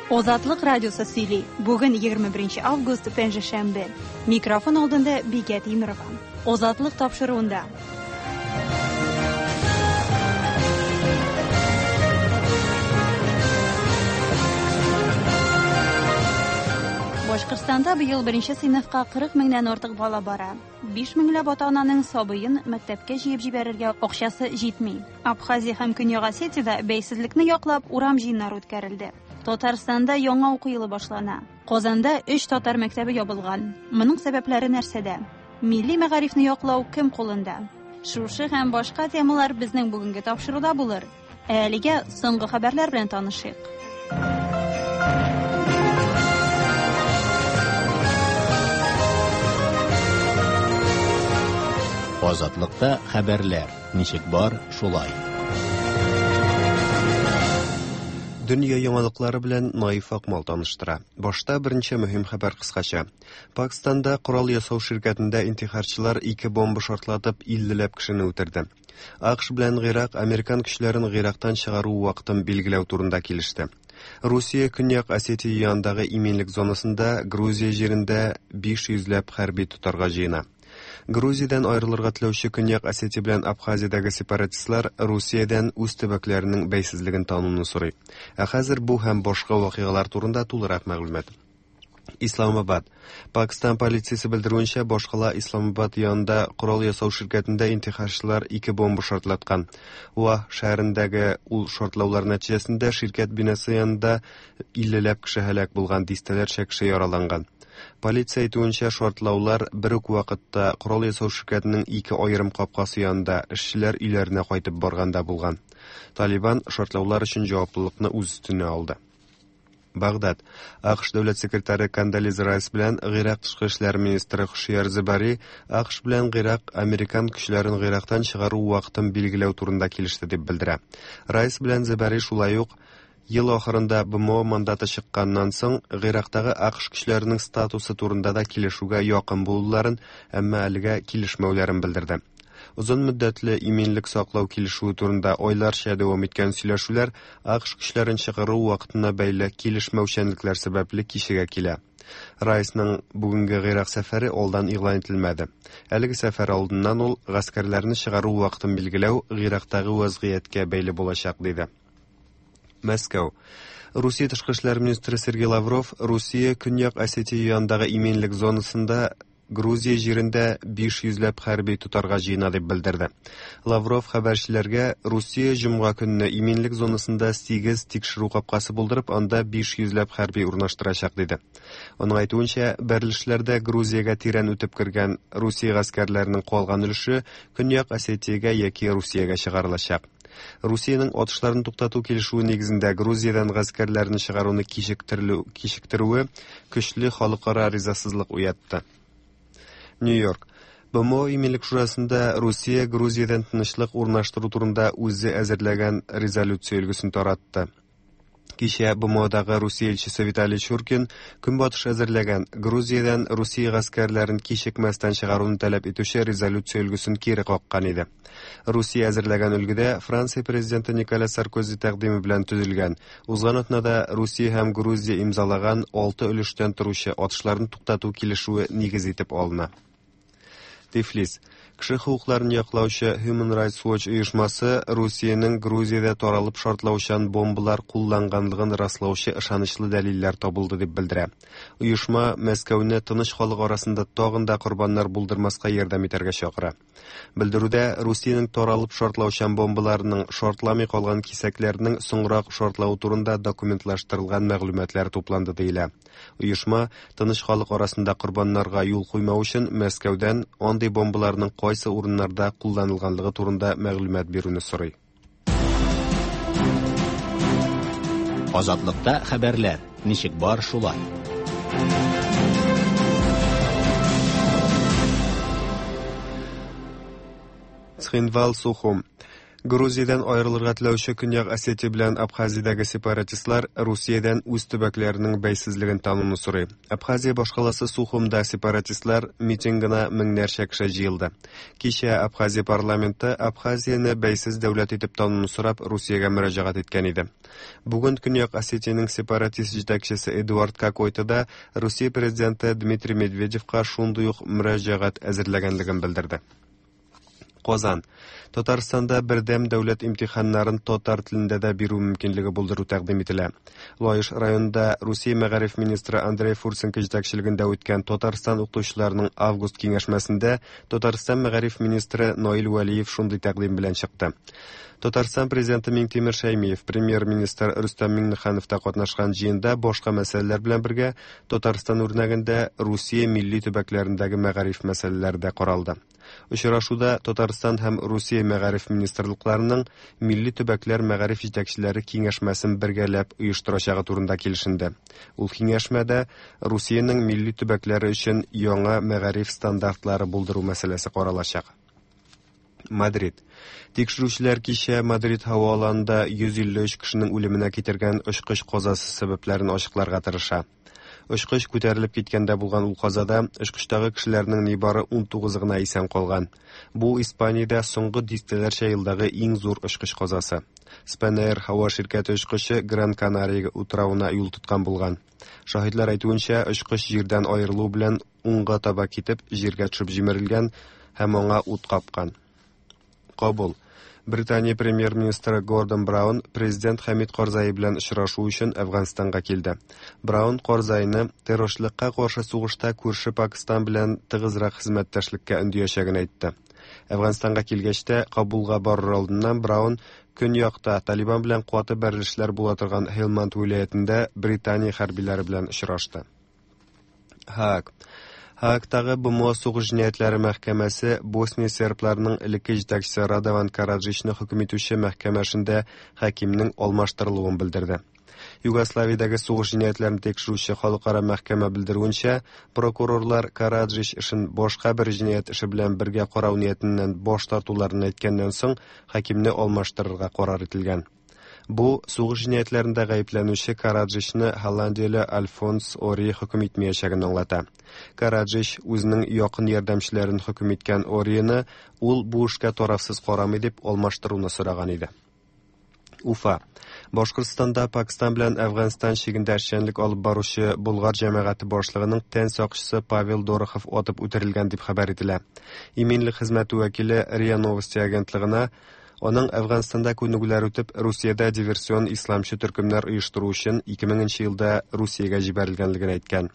Озатлык радиосы сөйли. Бүген 21 август, пәнҗешәмбе. Микрофон алдында Бикә Тимерова. Озатлык тапшыруында. Башкортстанда быел беренче сыйныфка 40 меңнән артык бала бара. 5 меңләп ата-ананың сабыен мәктәпкә җыеп җибәрергә акчасы җитми. Абхазия һәм Көньяк Осетиядә бәйсезлекне яклап урам җыеннары үткәрелде. Татарстанда яңа уку елы башлана. Казанда өч татар мәктәбе ябылган. Моның сәбәпләре нәрсәдә? Милли мәгарифне яклау кем кулында? Шушы һәм башка темалар безнең бүгенге тапшыруда булыр. Ә әлегә соңгы хәбәрләр белән танышыйк. Азатлыкта хәбәрләр ничек бар, шулай. Дөнья яңалыклары белән Наиф Акмал таныштыра. Башта берничә мөһим хәбәр кыскача. Пакстанда корал ясау ширкәтендә интихарчылар ике бомба шартлатып 50ләп кешене үтерде. АКШ белән Гыйрак американ көчләрен Гыйрактан чыгару вакытын билгеләү турында килеште. Русия Көньяк Осетия янындагы иминлек зонасында Грузия җирендә 500 ләп хәрби тотарга җыена. Грузиядән аерылырга теләүче Көньяк Осетия белән Абхазиядәге сепаратистлар Русиядән үз төбәкләренең бәйсезлеген тануны сорый. Ә хәзер бу һәм башка вакыйгалар турында тулырак мәгълүмат. Исламабад. Пакстан полициясе белдерүенчә, башкала Исламабад янында корал ясау ширкәтендә интихарчылар ике бомба шартлаткан. Уа шәһәрендәге ул шартлаулар нәтиҗәсендә ширкәт бинасы янында 50ләп кеше һәлак булган, дистәләрчә кеше яраланган. Полиция әйтүенчә, шартлаулар бер үк вакытта корал ясау ширкәтенең ике аерым капкасы янында эшчеләр өйләренә кайтып барганда булган. Талибан шартлаулар өчен җаваплылыкны үз өстенә алды. Багдад. АКШ дәүләт секретаре Кондолиза Райс белән Гыйрак тышкы эшләр министры Хушияр Зебари АКШ белән Гыйрак американ көчләрен Гыйрактан чыгару вакытын билгеләү турында килеште дип белдерә. Райс белән Зебари шулай ук ел ахырында БМО мандаты чыкканнан соң Гыйрактагы АКШ көчләренең статусы турында да килешүгә якын булуларын, әмма әлегә килешмәүләрен белдерде. Озын мөддәтле иминлек саклау килешүе турында айларча дәвам иткән сөйләшүләр АКШ көчләрен чыгару вакытына бәйле килешмәүчәнлекләр сәбәпле кичегә килә. Райсның бүгенге Гыйрак сәфәре алдан игълан ителмәде. Әлеге сәфәр алдыннан ул гаскәрләрне чыгару вакытын билгеләү Гыйрактагы вазгыятькә бәйле булачак диде. Мәскәү. Русия тышкы эшләр министры Сергей Лавров Русия Көньяк Осетия янындагы иминлек зонасында Грузия җирендә 500 ләп хәрби тотарга җыена дип белдерде. Лавров хәбәрчеләргә Русия җомга көнне иминлек зонасында 8 тикшерү капкасы булдырып, анда 500 ләп хәрби урнаштырачак диде. Аның әйтүенчә, бәрелешләрдә Грузиягә тирән үтеп кергән Русия гаскәрләренең калган өлеше Көньяк Осетиягә яки Русиягә чыгарылачак. Русиянең атышларын туктату килешүе нигезендә Грузиядән гаскәрләрне чыгаруны кичектерүе көчле халыкара ризасызлык уятты. Нью-Йорк. БМО Иминлек шурасында Русия Грузиядән тынычлык урнаштыру турында үзе әзерләгән резолюция өлгесен таратты. Кичә БМОдагы Русия илчесе Виталий Чуркин Көнбатыш әзерләгән Грузиядән Русия гаскәрләрен кичекмәстән чыгаруны таләп итүче резолюция өлгесен кире каккан иде. Русия әзерләгән өлгедә Франция президенты Николя Саркози тәкъдиме белән төзелгән. Узган атнада Русия һәм Грузия имзалаган алты өлештән торучы атышларны туктату килешүе нигез итеп алына. Тифлис. Кеше хокукларын яклаучы Human Rights Watch оешмасы Русиянең Грузиядә таралып шартлаучан бомбалар кулланганлыгын раслаучы ышанычлы дәлилләр табылды дип белдерә. Оешма Мәскәүне тыныч халык арасында тагын да корбаннар булдырмаска ярдәм итәргә чакыра. Белдерүдә Русиянең таралып шартлаучан бомбаларының шартламый калган кисәкләренең соңрак шартлавы турында документлаштырылган мәгълүматлар тупланды диелә. Оешма тыныч халык арасында корбаннарга юл куймау өчен Мәскәүдән андый бомбаларның кайсы урыннарда кулланылганлыгы турында мәгълүмат бирүне сорый. Азатлыкта хәбәрләр ничек бар шулай. Цхинвал Сухум. Грузиядән аерылырга теләүче Көньяк Осетия белән Абхазиядәге сепаратистлар Русиядән үз төбәкләренең бәйсезлеген тануны сорый. Абхазия башкаласы Сухумда сепаратистлар митингына меңнәрчә кеше җыелды. Кичә Абхазия парламенты Абхазияне бәйсез дәүләт итеп тануны сорап Русиягә мөрәҗәгать иткән иде. Бүген Көньяк Осетиянең сепаратист җитәкчесе Эдуард Кокойто да Русия президенты Дмитрий Медведевка шундый ук мөрәҗәгать әзерләгәнлеген белдерде. Казан. Татарстанда бердәм дәүләт имтиханнарын татар телендә дә бирү мөмкинлеге булдыру тәкъдим ителә. Лаеш районында Русия мәгариф министры Андрей Фурсенко җитәкчелегендә үткән Татарстан укытучыларының август киңәшмәсендә Татарстан мәгариф министры Наил Вәлиев шундый тәкъдим белән чыкты. Татарстан президенты Миңтимер Шәймиев, премьер-министр Рөстәм Миңнеханов та катнашкан җыенда башка мәсьәләләр белән бергә Татарстан үрнәгендә Русия милли төбәкләрендәге мәгариф мәсьәләләре дә каралды. Очрашуда Татарстан һәм Русия мәгариф министрлыкларының милли төбәкләр мәгариф җитәкчеләре киңәшмәсен бергәләп оештырачагы турында килешенде. Ул киңәшмәдә Русиянең милли төбәкләре өчен яңа мәгариф стандартлары булдыру мәсьәләсе каралачак. Мадрид. Тикшерүчеләр кичә Мадрид һава аланында 153 кешенең үлеменә китергән очкыч казасы сәбәпләрен ачыкларга тырыша. Очкыч күтәрелеп киткәндә булган ул казада очкычтагы кешеләрнең нибары 19 гына исән калган. Бу Испаниядә соңгы дистәләрчә елдагы иң зур очкыч казасы. Spanair һава ширкәте очкычы Гран Канария утравына юл тоткан булган. Шаһитлар әйтүенчә, очкыч җирдән аерылу белән уңга таба китеп, җиргә төшеп җимерелгән һәм аңа ут капкан. Кабул. Британия премьер-министры Гордон Браун президент Хәмид Карзай белән очрашу өчен Әфганстанга килде. Браун Карзайны террорчылыкка каршы сугышта күрше Пакистан белән тыгызрак хезмәттәшлеккә өндиячәген әйтте. Әфганстанга килгәч тә, Кабулга барыр алдыннан Браун көньякта Талибан белән каты бәрелешләр була торган Һелманд вилаятендә Британия хәрбиләре белән очрашты. Һааг. Һаагтагы БМО сугыш җинаятьләре мәхкәмәсе Босния сербларының элекке җитәкчесе Радован Караджичны хөкем итүче мәхкәмә эшендә хакимнең алмаштырылуын белдерде. Югославиядәге сугыш җинаятьләрен тикшерүче халыкара мәхкәмә белдерүенчә, прокурорлар Караджич эшен башка бер җинаять эше белән бергә карау ниятеннән баш тартуларын әйткәннән соң хакимне алмаштырырга карар ителгән. Бу сугыш җинаятьләрендә гаепләнүче Караджичны Голландияле Альфонс Ори хөкем итмәячәген аңлата. Караджич үзенең якын ярдәмчеләрен хөкем иткән Орины ул бу эшкә тарафсыз карамый дип алмаштыруны сораган иде. Уфа. Башкортстанда Пакистан белән Әфганстан чигендә эшчәнлек алып баручы Болгар җәмәгате башлыгының тән сакчысы Павел Дорохов атып үтерелгән дип хәбәр ителә. Иминлек хезмәте вәкиле РИА Новости агентлыгына аның Әфганстанда күнегүләр үтеп, Русиядә диверсион исламчы төркемнәр оештыру өчен 2000 елда Русиягә җибәрелгәнлеген әйткән.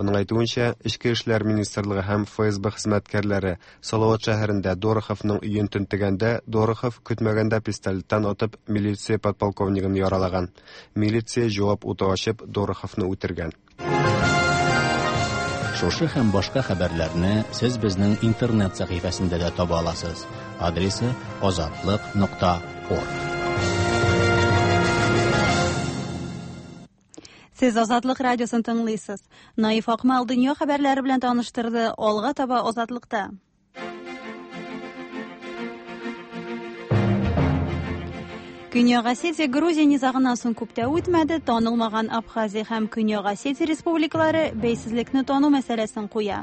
Аның әйтүенчә, Эчке эшләр министрлыгы һәм ФСБ хезмәткәрләре Салават шәһәрендә Дороховның өен тентегәндә, Дорохов көтмәгәндә пистолеттан атып милиция подполковнигын яралаган. Милиция җавап уты ачып Дороховны үтергән. Шушы һәм башка хәбәрләрне сез безнең интернет сәхифәсендә дә таба аласыз. Адресы azatliq.org. Сез Азатлык радиосын тыңлыйсыз. Наиф Акмал дөнья хәбәрләре белән таныштырды. Алга таба Азатлыкта. Көньяк Осетия Грузия низагыннан соң күп тә үтмәде, танылмаган Абхазия һәм Көньяк Осетия республикалары бәйсезлекне тану мәсьәләсен куя.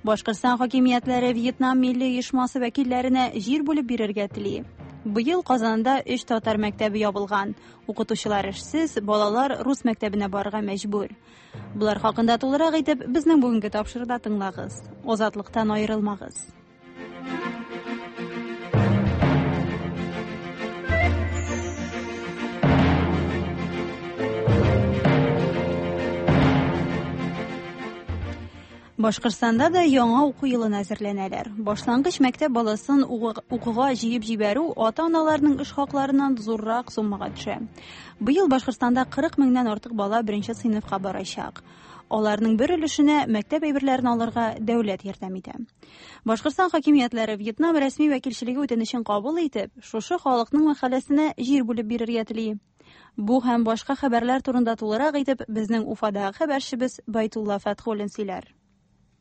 Башкортстан хакимиятләре Вьетнам милли оешмасы вәкилләренә җир бүлеп бирергә тели. Быел Казанда 3 татар мәктәбе ябылган. Укытучылар эшсез, балалар рус мәктәбенә барырга мәҗбүр. Булар хакында тулырак итеп безнең бүгенге тапшыруда тыңлагыз. Азатлыктан аерылмагыз. Башкортстанда да яңа уку елына әзерләнәләр. Башлангыч мәктәп баласын укуга җыеп җибәрү ата-аналарның эш хакларыннан зуррак суммага төшә. Быел Башкортстанда 40 меңнән артык бала беренче сыйныфка барачак. Аларның бер өлешенә мәктәп әйберләрен алырга дәүләт ярдәм итә. Башкортстан хакимиятләре Вьетнам рәсми вәкилчелеге үтенечен кабул итеп, шушы халыкның мәхәлләсенә җир бүлеп бирергә тели. Бу һәм башка хәбәрләр турында тулырак итеп безнең Уфадагы хәбәрчебез Байтулла Фәтхуллин сөйләр.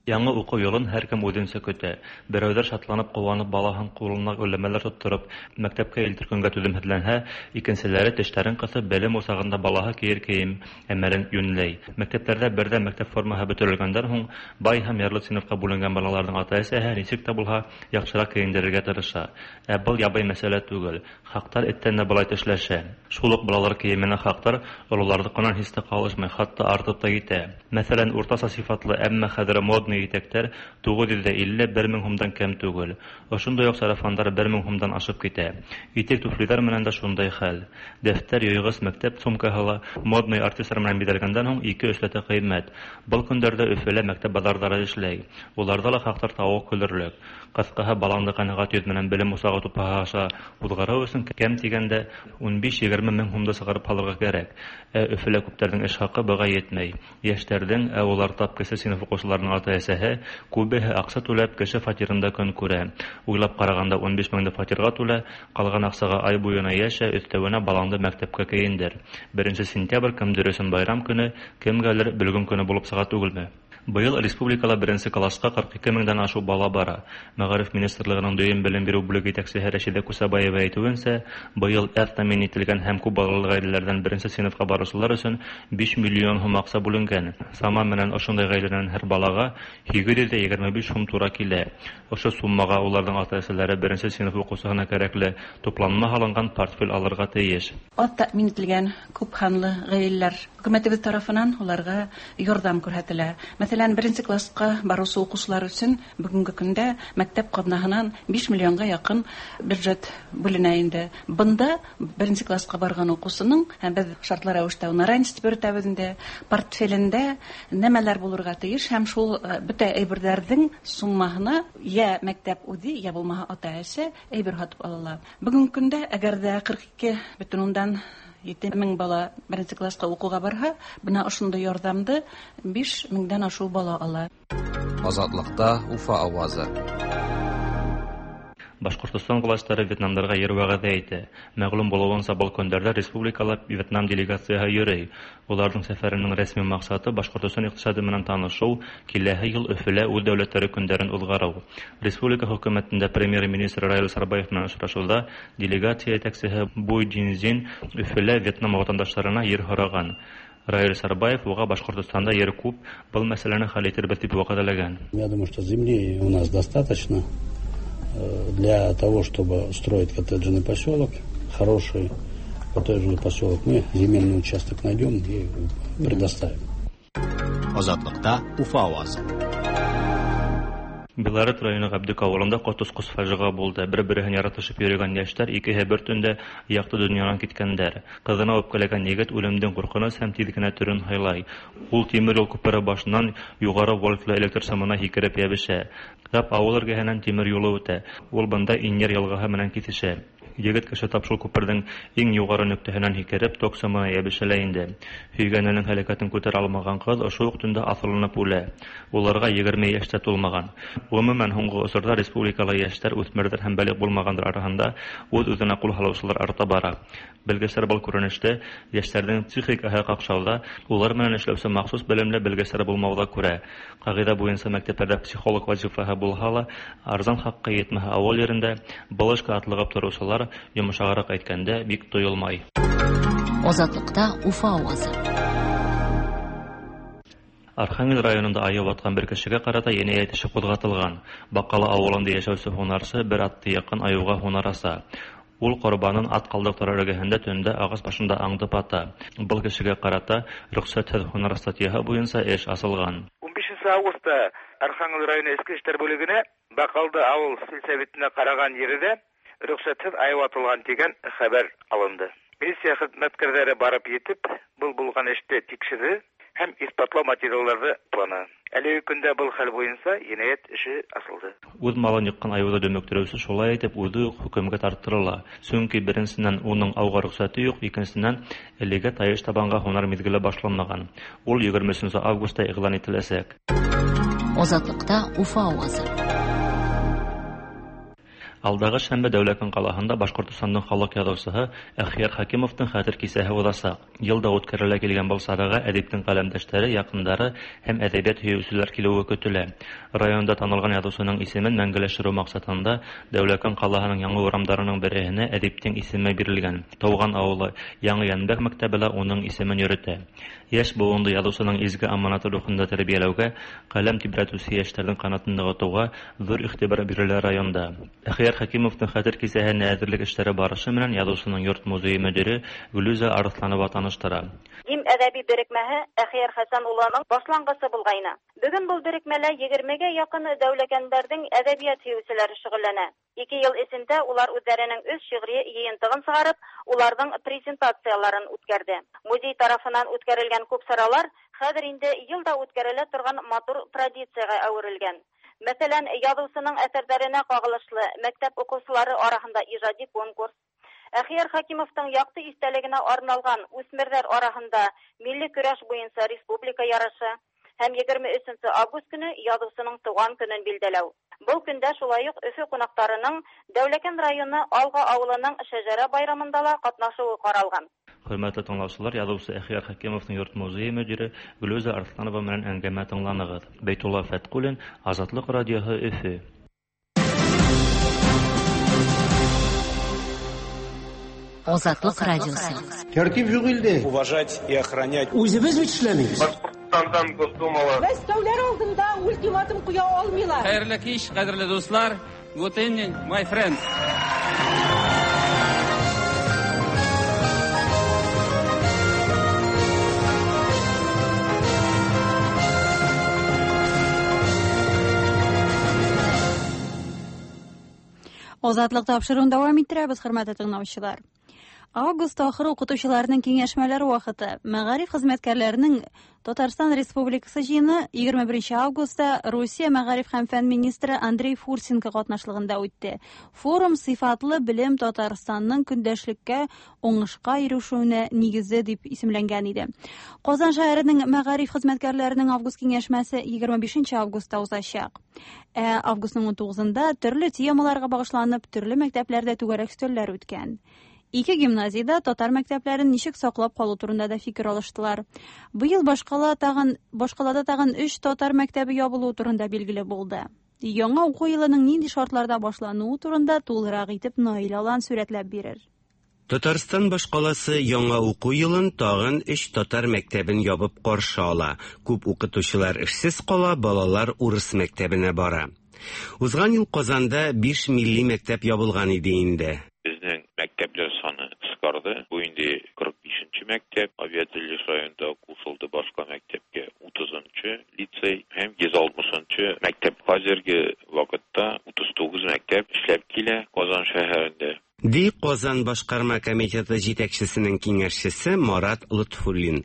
Яңа уку елын һәркем үзенчә көтә. Берәүләр шатланып, куанып, балаһын кулына гөлләмәләр тоттырып, мәктәпкә илтер көнгә түземһезләнһә, икенчеләре тешләрен кысып, белем учагында балаһы киер кием әмәлен юньләй. Мәктәпләрдә бердәм мәктәп формаһы бөтерелгәндән һуң, бай һәм ярлы сыйныфка бүленгән балаларның ата-әсәһе ничек тә булһа яхшырак киендерергә тырыша. Ә был ябай мәсьәлә түгел. Хаҡтар эттән дә былай тешләшә. Шул уҡ балалар кейеменә хаҡтар ололарҙыҡынан һис тә ҡалышмай, хатта артып та китә. Мәҫәлән, уртаса сифатлы, әммә хәҙер модный итәктәр 950-1 мең һумдан кәм түгел. Ошондай уҡ сарафандар 1 мең һумдан ашып китә. Итек туфлиҙар менән дә шундай хәл. Дәфтәр, йыйғыс, мәктәп сумкаһы ла модный артистар менән биҙәлгәндән һуң 2-3 ләтә ҡыйммәт. Был көндәрҙә Өфөлә мәктәп баҙарҙары эшләй. Уларҙа ла хаҡтар тауыҡ көлөрлөк. Ҡыҫҡаһы, балаңды ҡәнәғәт йөҙ менән белем усағы тупһаһы аша уҙғарыу өсөн кәм тигәндә 15-20 мең һумды сығарып һалырға кәрәк. Ә Өфөлә күптәрҙең эш хаҡы быға етмәй. Йәштәрҙең, ә улар тап кесе синыф уҡыусыларының ата-әсәһе, күбеһе аҡса түләп кеше фатирында көн күрә. Уйлап ҡарағанда 15 меңде фатирға түлә, ҡалған аҡсаға ай буйына йәшә, өҫтәүенә балаңды мәктәпкә кейендер. 1 сентябрь кемдер өсөн байрам көнө, кемгәлер бөлгөн көнө булып сыға түгелме? Быйыл республикала беренсе классҡа 42 меңдән ашыу бала бара. Мәғариф министрлығының дөйөм белем биреү бүлеге етәксеһе Рәшиҙә Кусабаева әйтеүенсә, быйыл әҙ тәьмин ителгән һәм күп балалы ғаиләләрҙән беренсе синыфҡа барыусылар өсөн 5 миллион һум аҡса бүленгән. Сама менән ошондай ғаиләнән һәр балаға 825 һум тура килә. Ошо суммаға уларҙың ата-әсәләре беренсе синыф уҡыусыһына кәрәкле тупланма һалынған портфель алырға тейеш. Аҙ тәьмин ителгән күп һанлы ғаиләләр хөкүмәтебеҙ тарафынан уларға ярҙам күрһәтелә. Мәҫәлән, беренсе классҡа барыусы уҡыусылар өсөн бөгөнгө көндә мәктәп ҡаҙнаһынан 5 миллионға яҡын бюджет бүленә инде. Бында беренсе классҡа барған уҡыусының, һәм беҙ шартлы рәүештә уны ранец тип йөрөтәбеҙ инде, портфелендә нәмәләр булырға тейеш һәм шул бөтә әйберҙәрҙең суммаһына йә мәктәп үҙе, йә булмаһа ата-әсә әйбер һатып ала ала. Бөгөнгө көндә әгәр ҙә 42,7 мең бала беренсе классҡа уҡыуға барһа, бына ошондай ярҙамды 5 меңдән ашыу бала ала. Азатлыкта Уфа авазы. Башҡортостан властары Вьетнамдарға ер вәғәҙә итә. Мәғлүм булыуынса, был көндәрҙә республикала Вьетнам делегацияһы йөрөй. Уларҙың сәфәренең рәсми маҡсаты Башҡортостан иҡтисады менән танышыу, киләһе йыл Өфөлә үҙ дәүләттәре көндәрен уҙғарыу. Республика хөкүмәтендә премьер-министр Раил Сарбаев менән осрашыуҙа делегация етәксеһе Буй Джинзин Өфөлә Вьетнам ватандаштарына ер һораған. Раил Сарбаев уға Башҡортостанда ер күп, был мәсьәләне хәл итербеҙ тип вәғәҙәләгән. Я думаю, что земли у нас достаточно для того, чтобы строить коттеджный поселок, хороший коттеджный поселок. Мы земельный участок найдем и предоставим. Азатлыкта Уфа авазы. Белорет районы Ғәбдүк ауылында ҡотосҡос фажиға булды. Бер-береһен яратышып йөрөгән йәштәр икеһе бер төндә яҡты донъянан киткәндәр. Ҡыҙына үпкәләгән егет үлемдең ҡурҡыныс һәм тиҙ генә төрөн һайлай. Ул тимер юл күпере башынан юғары вольтлы электр сымына һикереп йәбешә. Тап ауыл эргәһенән тимер юлы үтә. Ул бында Инйәр йылғаһы менән киҫешә. Егет кеше тап шул күперҙең иң юғары нөктәһенән һикереп ток сымына йәбешә лә инде. Һөйгәненең һәләкәтен күтәрә алмаған ҡыҙ ошо уҡ төндә аҫылынып үлә. Уларға 20 йәш тә тулмаған. Ғөмүмән, һуңғы осорҙа республикала йәштәр, үҫмерҙәр һәм бәлиғ булмағандар араһында үҙ-үҙенә ҡул һалыусылар арта бара. Белгестәр был күренеште йәштәрҙең психикаһы ҡаҡшауҙа, улар менән эшләүсе махсус белемле белгестәр булмауҙа күрә. Ҡағиҙә буйынса мәктәптәрҙә психолог вазифаһы булһа ла, арзан хаҡҡа етмәһә ауыл ерендә был эшкә атлығып тороусылар, йомшағыраҡ әйткәндә, бик тойолмай. Азатлыкта Уфа авазы. Архангел районында айыу атҡан бер кешегә ҡарата енәйәт эше ҡуҙғатылған. Баҡалы ауылында йәшәүсе һунарсы бер атты яҡын айыуға һунар аса. Ул ҡорбанын ат ҡалдыҡтары эргәһендә төндә ағас башында аңдып ата. Был кешегә ҡарата рөхсәтһеҙ һунар статьяһы буйынса эш асылған. 15 августта Архангел районы Эске эштәр бүлегенә Баҡалды ауыл сельсоветына ҡараған ерҙә рөхсәтһеҙ айыу атылған тигән хәбәр алынды. Милиция хеҙмәткәрҙәре барып етеп, был булған эште тикшерҙе һәм иҫбатлау материалдарҙы тупланы. Әлеге көндә был хәл буйынса енәйәт эше асылды. Үҙ малын йыҡҡан айыуҙы дөмөктөрөүсе шулай итеп үҙе үк хөкөмгә тарттырыла. Сөнки беренсенән уның ауға рөхсәте юҡ, икенсенән әлегә тайыш табанға һунар миҙгеле башланмаған. Ул 23 августта иғлан ителәсәк. Азатлыкта Уфа авазы. Алдагы шәмбе Дәүләкән ҡалаһында Башҡортостандың халыҡ яҙыусыһы Әхйәр Хәкимовтың хәтер кисәһе уҙасаҡ. Йыл да үткәрелә килгән был сараға әҙиптең ҡәләмдәштәре, яҡындары һәм әҙәбиәт һөйөүселәр килеүе көтөлә. Районда танылған яҙыусының исемен мәңгеләштереү маҡсатында Дәүләкән ҡалаһының яңы урамдарының береһенә әҙиптең исеме бирелгән. Тыуған ауылы Яңы Йәнбәк мәктәбе лә уның исемен йөрөтә. Йәш быуынды яҙыусының изге аманаты рухында тәрбиәләүгә, ҡәләм тибрәтеүсе йәштәрҙең ҡанатын нығытыуға ҙур иғтибар бирелә районда. Әхйәр Хәкимовтың хәтер кисәһенә әҙерлек эштәре барышы менән яҙыусының йорт музейы мөдире Гөлүзә Арыҫланова таныштыра. Дим әҙәби берекмәһе Әхйәр Хәсән улының башланғысы булғайны. Бөгөн был берекмәлә 20-гә яҡын дәүләкәндәрҙең әҙәбиәт һөйөүселәре шөғөлләнә. 2 йыл эсендә улар үҙҙәренең 3 шиғри йыйынтығын сығарып, уларҙың презентацияларын үткәрҙе. Музей тарафынан үткәрелгән күп саралар хәҙер инде йыл да үткәрелә торған матур традицияға әүерелгән. Мәҫәлән, яҙыусының әҫәрҙәренә ҡағылышлы мәктәп уҡыусылары араһында ижади конкурс, Әхйәр Хәкимовтың яҡты иҫтәлегенә арналған үҫмерҙәр араһында милли көрәш буйынса республика ярышы һәм 23 август көнө яҙыусының тыуған көнөн билдәләү. Был көндә шулай уҡ Өфө ҡунаҡтарының Дәүләкән районы Алға ауылының шәжәрә байрамында ла ҡатнашыуы ҡаралған. Хөрмәтле тыңлаусылар, яҙыусы Әхйәр Хәкимовтың йорт музейы мөдире Гөлүзә Арыҫланова менән әңгәмә тыңланығыҙ. Бәйтулла Фәтҡуллин, Азатлыҡ радиоһы, Өфө. Азатлык радиосы. Тәртип юк илдә. Уважать и охранять. Үзебез бит эшләмибез. Башҡортостандан Госдумала. Мәскәүләр алдында ультиматум ҡуя алмыйлар. Хәйерле кис, ҡәҙерле дуҫлар. Good evening, my friends. Азатлык тапшырыуын дәвам иттерәбез, хөрмәтле тыңлаучылар. Август ахыры укытучыларның киңәшмәләре вакыты. Мәгариф хезмәткәрләренең Татарстан Республикасы җыены 21 августта Русия мәгариф һәм фән министры Андрей Фурсенко катнашлыгында үтте. Форум сыйфатлы белем Татарстанның көндәшлеккә уңышка ирешүенә нигезе дип исемләнгән иде. Казан шәһәренең мәгариф хезмәткәрләренең август киңәшмәсе 25 августта узачак. Ә августның 19-нда төрле темаларга багышланып төрле мәктәпләрдә түгәрәк өстәлләр үткән. Ике гимназияда татар мәктәпләрен ничек саклап калу турында да фикер алыштылар. Быел башкалада тагын 3 татар мәктәбе ябылуы турында билгеле булды. Яңа уку елының нинди шартларда башлануы турында тулырак итеп Наил Алан сүрәтләп бирер. Татарстан башкаласы яңа уку елын тагын 3 татар мәктәбен ябып каршы ала. Күп укытучылар эшсез кала, балалар урыс мәктәбенә бара. Узган ел Казанда 5 милли мәктәп ябылган иде инде. Безнең мәктәпләр саны кыскарды. Бу инде 45-нче мәктәп, авиатөзелеш районында кушылды башка мәктәпкә 30-нчы лицей һәм 160-нчы мәктәп. Хәзерге вакытта 39 мәктәп эшләп килә Казан шәһәрендә. Ди Казан башкарма комитеты җитәкчесенең киңәшчесе Марат Лотфуллин.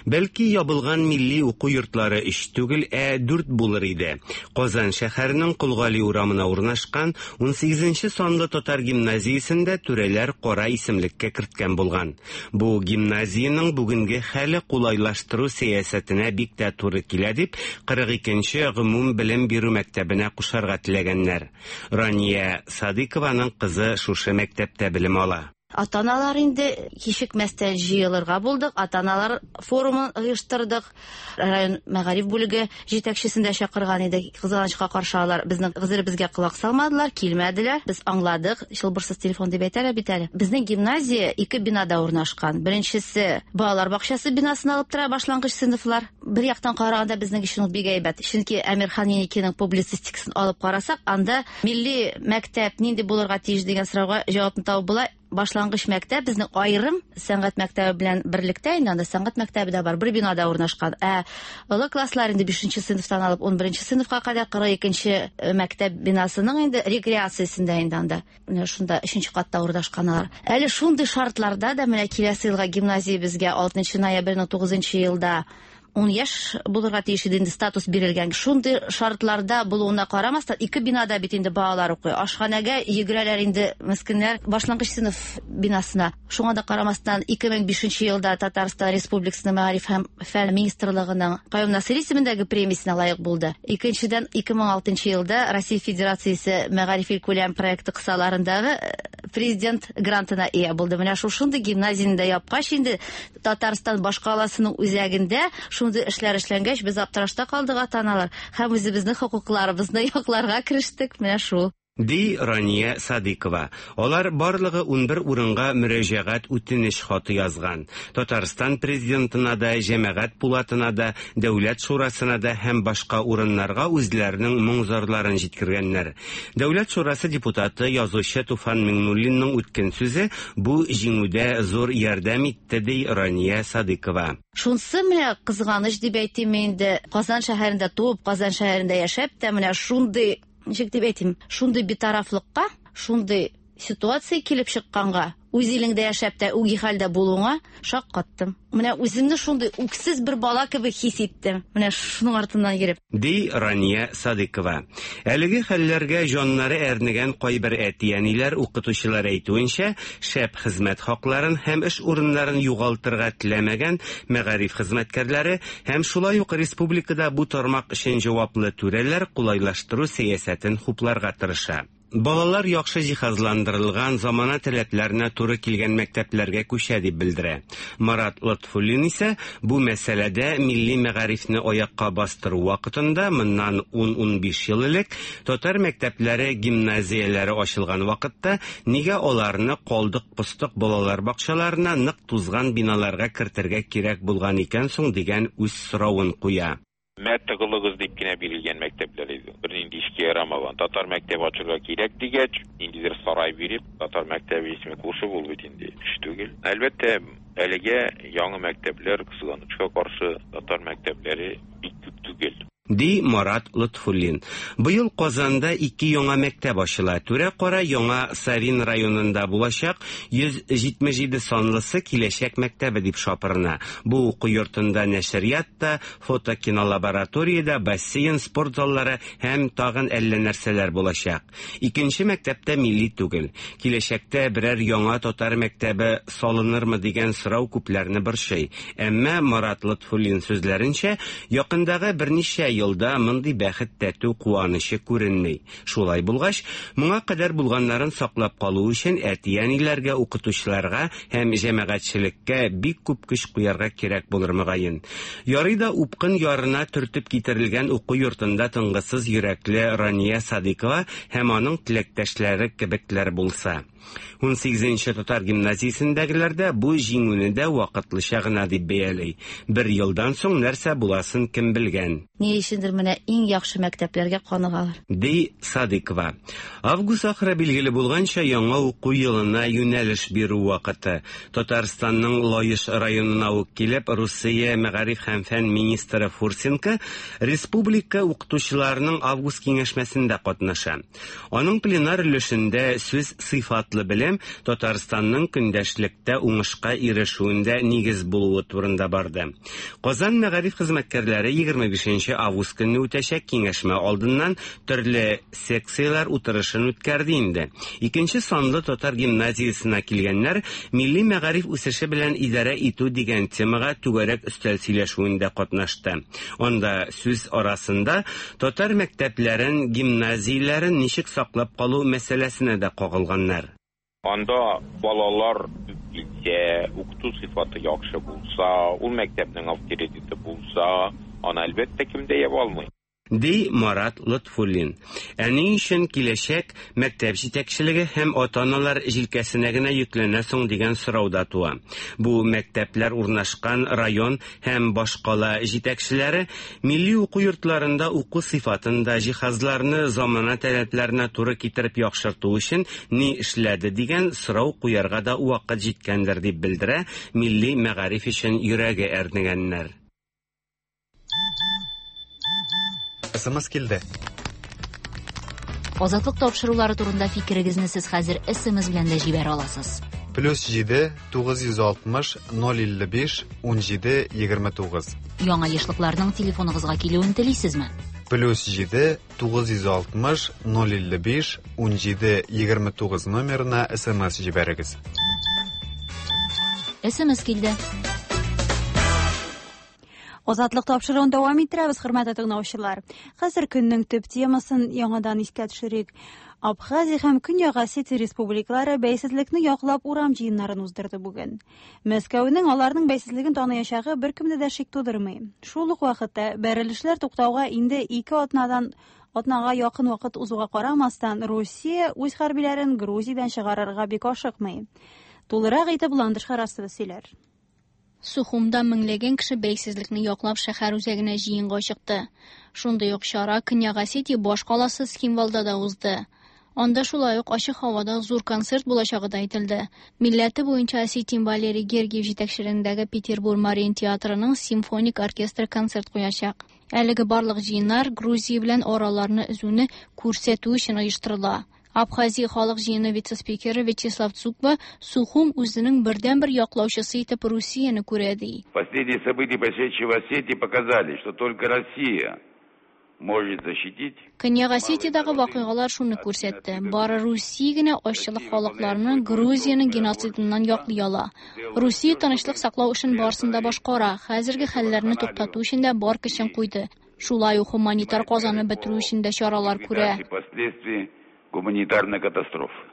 Бәлки ябылган милли уку йортлары 3 түгел, ә 4 булыр иде. Казан шәһәренең Колгали урамына урнашкан 18-нче санлы татар гимназиясендә түрәләр кара исемлеккә керткән булган. Бу гимназиянең бүгенге хәле кулайлаштыру сәясәтенә бик тә туры килә дип 42-нче гомум белем бирү мәктәбенә кушарга теләгәннәр. Рания Садыкованың кызы шушы мәктәп белем ала. Ата-аналар инде кичекмәстән җыелырга булдык. Ата-аналар форумын оештырдык. Район мәгариф бүлеге җитәкчесен дә чакырган идек. Кызганычка каршы алар безнең гозеребезгә колак салмадылар, килмәделәр. Без аңладык. Чылбырсыз телефон дип әйтәләр бит әле. Безнең гимназия 2 бинада урнашкан. Беренчесе балалар бакчасы бинасын алып тора башлангыч сыйныфлар. Бер яктан караганда безнең өчен ул бик әйбәт. Чөнки Әмирхан Еникинең публицистикасын алып карасак, анда милли мәктәп нинди булырга тиеш дигән сорауга җавапны табып була. Башлангыч мәктәп безнең аерым сәнгать мәктәбе белән берлектә, инде анда сәнгать мәктәбе дә бар, бер бинада урнашкан. Ә олы класслар инде 5-нче сыйныфтан алып 11-нче сыйныфка кадәр 42-нче мәктәп бинасының инде рекреациясендә инде анда. Менә шунда 3-нче катта урнашкан алар. Әле шундый шартларда да менә киләсе елга гимназия безгә 6 ноябрьнең 9 елда 10 яшь булырга тиеш иде инде статус бирелгән. Шундый шартларда булуына карамастан, ике бинада бит инде балалар укый. Ашханәгә йөгерәләр инде мескеннәр башлангыч сыйныф бинасына. Шуңа да карамастан, 2005 елда Татарстан Республикасының Мәгариф һәм фән министрлыгының Каюм Насыйри исемендәге премиясенә лаек булды. Икенчедән, 2006 елда Россия Федерациясе Мәгариф илкүләм проекты кысаларындагы президент грантына ия булды. Менә шушындый гимназияне дә япкач инде Татарстан башкаласының үзәгендә шундый эшләр эшләнгәч, без аптырашта калдык ата-аналар һәм үзебезнең хокукларыбызны якларга керештек. Менә шул. Ди Рания Садыйкова. Алар барлыгы 11 урынга мөрәҗәгать үтенеч хаты язган. Татарстан президентына да, җәмәгать пулатына да, Дәүләт шурасына да һәм башка урыннарга үзләренең моң-зарларын җиткергәннәр. Дәүләт шурасы депутаты, язучы Туфан Миңнуллинның үткен сүзе бу җиңүдә зур ярдәм итте, ди Рания Садыйкова. Шунсы менә кызганыч дип әйтим инде, Казан шәһәрендә туып, Казан шәһәрендә яшәп тә менә шундый, ничек дип әйтим, шундый битарафлыкка, шундый ситуация килеп чыкканга, үз илеңдә яшәп тә үги хәлдә булуыңа шаккаттым. Менә үземне шундый үксез бер бала кебек хис иттем. Менә шуның артыннан йөреп. Ди Рания Садыйкова. Әлеге хәлләргә җаннары әрнегән кайбер әти-әниләр, укытучылар әйтүенчә, шәп хезмәт хакларын һәм эш урыннарын югалтырга теләмәгән мәгариф хезмәткәрләре һәм шулай ук республикада бу тармак өчен җаваплы түрәләр кулайлаштыру сәясәтен хупларга тырыша. Балалар яхшы җиһазландырылган, замана таләпләренә туры килгән мәктәпләргә күчә дип белдерә. Марат Лотфуллин исә бу мәсьәләдә милли мәгарифне аякка бастыру вакытында моннан 10-15 ел элек татар мәктәпләре, гимназияләре ачылган вакытта нигә аларны калдык-постык балалар бакчаларына нык тузган биналарга кертергә кирәк булган икән соң дигән үз соравын куя. Мә тыгылыгыз дип кенә бирелгән мәктәпләр иде. Бернинди эшкә ярамаган. Татар мәктәбе ачырга кирәк дигәч, ниндидер сарай биреп, татар мәктәбе исеме кушып, ул бит инде эш түгел. Әлбәттә, әлегә яңа мәктәпләр, кызганычка каршы, татар мәктәпләре бик күп түгел. Ди Марат Лотфуллин. Быел Казанда ике яңа мәктәп ачыла. Түрә-кара Яңа Савин районында булачак 177 санлысы Киләчәк мәктәбе дип шапырына. Бу уку йортында нәшрият та, фотокинолаборатория дә, бассейн, спорт заллары һәм тагын әллә нәрсәләр булачак. Икенче мәктәп тә милли түгел. Киләчәктә берәр яңа татар мәктәбе салынырмы дигән сорау күпләрне борчый. Әмма Марат Лотфуллин сүзләренчә, якындагы берничә елда мондый бәхет тәтү куанычы күренми. Шулай булгач, моңа кадәр булганнарын саклап калу өчен әти-әниләргә, укытучыларга һәм җәмәгатьчелеккә бик күп көч куярга кирәк булыр мөгаен. Ярый да упкын ярына төртеп китерелгән уку йортында тынгысыз йөрәкле Рания Садыйкова һәм аның теләктәшләре кебекләр булса. Унсигезенче татар гимназиясендәгеләр дә бу җиңүне дә вакытлыча гына дип бәяли. Бер елдан соң нәрсә буласын кем белгән. Ни өчендер менә иң яхшы мәктәпләргә каныгалар. Ди Садыйкова. Август ахыры билгеле булганча, яңа уку елына юнәлеш бирү вакыты. Татарстанның Лаеш районына ук килеп, Русия мәгариф һәм фән министры Фурсенко республика укытучыларының август киңәшмәсендә катнаша. Аның пленар өлешендә сүз сыйфатлы белем Татарстанның көндәшлектә уңышка ирешүендә нигез булуы турында барды. Казан мәгариф хезмәткәрләре 25 август көнне үтәчәк киңәшмә алдыннан төрле секцияләр утырышын үткәрде инде. Икенче санлы татар гимназиясенә килгәннәр милли мәгариф үсеше белән идарә итү дигән темага түгәрәк өстәл сөйләшүендә катнашты. Анда сүз арасында татар мәктәпләрен, гимназияләрен ничек саклап калу мәсьәләсенә дә кагылганнар. Анда балалар күп килсә, укыту сыйфаты яхшы булса, ул мәктәпнең авторитеты булса, аны әлбәттә кем дә яба алмый. Ди Марат Лотфуллин. Ә ни өчен киләчәк мәктәп җитәкчелеге һәм ата-аналар җилкәсенә генә йөкләнә соң дигән сорау да туа. Бу мәктәпләр урнашкан район һәм башкала җитәкчеләре милли уку йортларында уку сыйфатын да, җиһазларны замана таләпләренә туры китереп яхшырту өчен ни эшләде дигән сорау куярга да вакыт җиткәндер дип белдерә милли мәгариф өчен йөрәге әрнегәннәр. СМС килде. Азатлык тапшырулары турында фикерегезне сез хәзер СМС белән дә җибәрә аласыз. Плюс 7 960 055 17 29. Яңа ешлыкларның телефоныгызга килүен телисезме? Плюс 7 960 055 17 29 номерына СМС җибәрегез. СМС килде. Азатлык тапшыруын дәвам иттерәбез, хөрмәтле тыңлаучылар. Хәзер көннең төп темасын яңадан искә төшерик. Абхазия һәм Көньяк Осетия республикалары бәйсезлекне яклап урам җыеннарын уздырды бүген. Мәскәүнең аларның бәйсезлеген таныячагы беркемдә дә шик тудырмый. Шул ук вакытта бәрелешләр туктауга инде ике атнадан атнага якын вакыт узуга карамастан, Русия үз хәрбиләрен Грузиядән чыгарырга бик ашыкмый. Тулырак итеп Ландыш Харасова сөйләр. Сухумда меңләгән кеше бәйсезлекне яклап шәһәр үзәгенә җыенга чыкты. Шундый ук чара Көньяк Осетия баш каласы Цхинвалда да узды. Анда шулай ук ачык һавада зур концерт булачагы да әйтелде. Милләте буенча осетин Валерий Гергиев җитәкчелегендәге Петербург Мариин театрының симфоник оркестры концерт куячак. Әлеге барлык җыеннар Грузия белән араларны өзүне күрсәтү өчен оештырыла. Абхазия халык җыены вице-спикеры Вячеслав Цукба Сухум үзенең бердәнбер яклаучысы итеп Русияне күрә ди. Последние события, происшедшие в Осетии, показали, что только Россия может защитить. Көньяк Осетиядагы вакыйгалар шуны күрсәтте. Бары Русия генә азчылык халыкларны Грузиянең геноцидыннан яклый ала. Русия тынычлык саклау эшен барысын да башкара, хәзерге хәлләрне туктату өчен дә бар көчен куйды. Шулай ук гуманитар казаны бетерү өчен дә чаралар күрә. Последствий гуманитарной катастрофы.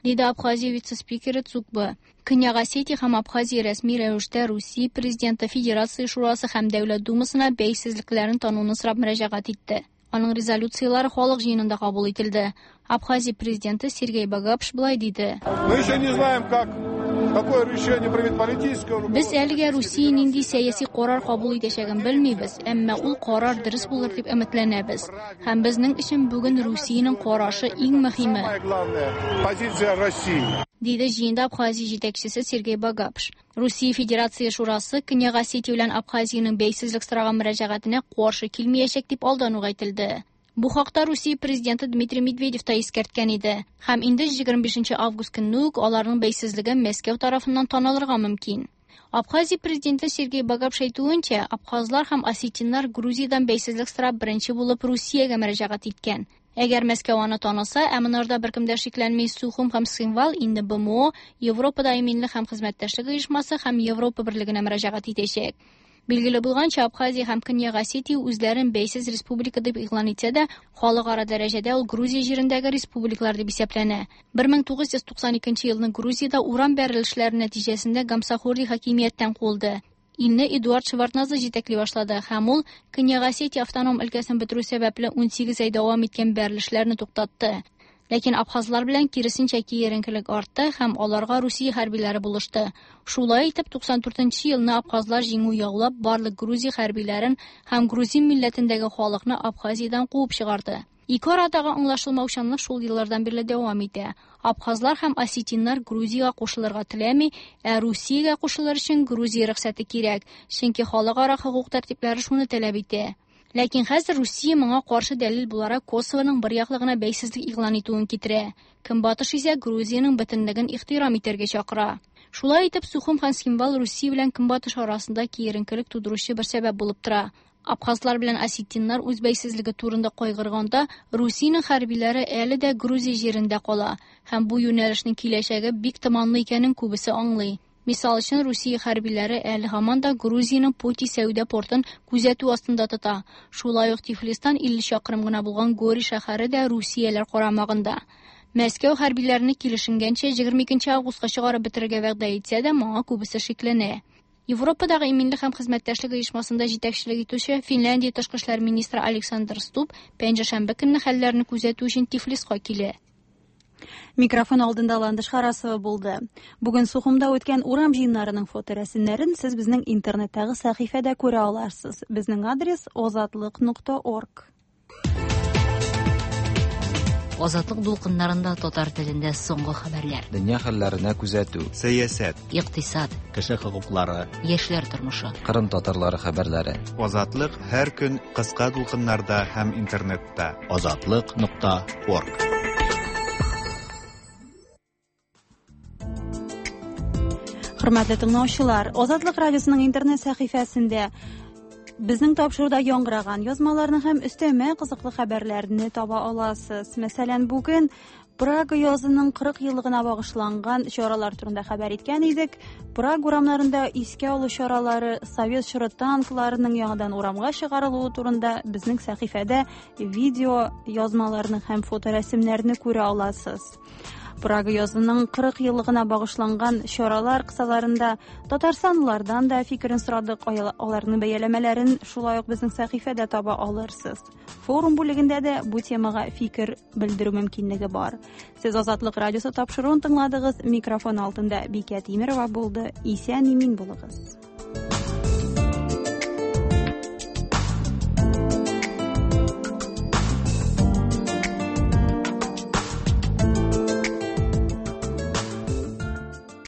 Диде Абхазия вице-спикеры Цукба. Көньяк Осетия һәм Абхазия рәсми рәвештә Русия президенты, Федерация шурасы һәм Дәүләт Думасына бәйсезлекләрен тануны сорап мөрәҗәгать итте. Аның резолюцияләре халык җыенында кабул ителде. Абхазия президенты Сергей Багапш былай диде. Мы еще не знаем, как какое решение примет политическое Без әлегә Русия нинди сәяси карар кабул итәчәген белмибез, әмма ул карар дөрес булыр дип өметләнәбез. Һәм безнең өчен бүген Русиянең карашы иң мөһиме. Самое главное позиция России. Диде җыенда Абхазия җитәкчесе Сергей Багапш. Русия Федерация шурасы Көньяк Осетия белән Абхазиянең бәйсезлек сораган мөрәҗәгатенә каршы килмәячәк дип алдан ук әйтелде. Бу хакта Русия президенты Дмитрий Медведев та искәрткән иде. Һәм инде 25 август көнне үк аларның бәйсезлеге Мәскәү тарафыннан танылырга мөмкин. Абхазия президенты Сергей Багапш әйтүенчә, абхазлар һәм осетиннар Грузиядән бәйсезлек сорап беренче булып Русиягә мөрәҗәгать иткән. Әгәр Мәскәү аны таныса, ә монарда беркем дә шикләнми, Сухум һәм Цхинвал инде БМО, Европада иминлек һәм хезмәттәшлек оешмасы һәм Европа берлегенә мөрәҗәгать итәчәк. Билгеле булганча, Абхазия һәм Көньяк Осетия үзләрен бәйсез республика дип игълан итсә дә, халыкара дәрәҗәдә ул Грузия җирендәге республикалар дип исәпләнә. 1992 елны Грузиядә урам бәрелешләре нәтиҗәсендә Гамсахурди хакимияттән куылды. Илне Эдуард Шеварднадзе җитәкли башлады һәм ул Көньяк Осетия автоном өлкәсен бетерү сәбәпле 18 ай дәвам иткән бәрелешләрне туктатты. Ләкин абхазлар белән киресенчә киеренкелек артты һәм аларга Русия хәрбиләре булышты. Шулай итеп 94 елны абхазлар җиңү яулап, барлык Грузия хәрбиләрен һәм грузин милләтендәге халыкны Абхазиядән куып чыгарды. Ике арадагы аңлашылмаучанлык шул еллардан бирле дәвам итә. Абхазлар һәм осетиннар Грузиягә кушылырга теләми, ә Русиягә кушылыр өчен Грузия рөхсәте кирәк, чөнки халыкара хокук тәртипләре шуны таләп итә. Ләкин хәзер Русия моңа каршы дәлил буларак Косовоның бер яклы гына бәйсезлек игълан итүен китерә. Көнбатыш исә Грузиянең бөтенлеген ихтирам итәргә чакыра. Шулай итеп, Сухум һәм Цхинвал Русия белән Көнбатыш арасында киеренкелек тудыручы бер сәбәп булып тора. Абхазлар белән осетиннар үз бәйсезлеге турында кайгырганда, Русиянең хәрбиләре әле дә Грузия җирендә кала һәм бу юнәлешнең киләчәге бик томанлы икәнен күбесе аңлый. Мисал өчен, Русия хәрбиләре әле һаман да Грузиянең Поти сәүдә портын күзәтү астында тота. Шулай ук Тифлистан 50 чакрым гына булган Гори шәһәре дә Русияләр карамагында. Мәскәү хәрбиләрне килешенгәнчә 22 августка чыгарып бетерергә вәгъдә итсә дә, моңа күбесе шикләнә. Европадагы иминлек һәм хезмәттәшлек оешмасында җитәкчелек итүче Финляндия тышкы эшләр министры Александр Стуб пәнҗешәмбе көнне хәлләрне күзәтү өчен Тифлиска килә. Микрофон алдында Ландыш Харасова булды. Бүген Сухумда үткән урам җыеннарының фоторәсемнәрен сез безнең интернеттагы сәхифәдә күрә аларсыз. Безнең адрес озатлык.орг. Азатлык дулкыннарында татар телендә соңгы хәбәрләр. Дөнья хәлләренә күзәтү. Сәясәт. Икътисад. Кеше хокуклары. Яшьләр тормышы. Кырым татарлары хәбәрләре. Азатлык һәр көн кыска дулкыннарда һәм интернетта. Азатлык.орг. Хөрмәтле тыңлаучылар, Азатлык радиосының интернет сәхифәсендә безнең тапшыруда яңгыраган язмаларны һәм өстәмә кызыклы хәбәрләрне таба аласыз. Мәсәлән, бүген Прага язының 40 еллыгына багышланган чаралар турында хәбәр иткән идек. Прага урамнарында искә алу чаралары, совет чоры танкларының яңадан урамга чыгарылуы турында безнең сәхифәдә видео язмаларны һәм фоторәсемнәрне күрә аласыз. Прага язының 40 еллыгына багышланган чаралар кысаларында татарстанлылардан да фикерен сорадык, аларның бәяләмәләрен шулай ук безнең сәхифәдә таба алырсыз. Форум бүлегендә дә бу темага фикер белдерү мөмкинлеге бар. Сез Азатлык радиосы тапшыруын тыңладыгыз. Микрофон алдында Бикә Тимерова булды. Исән имин булыгыз.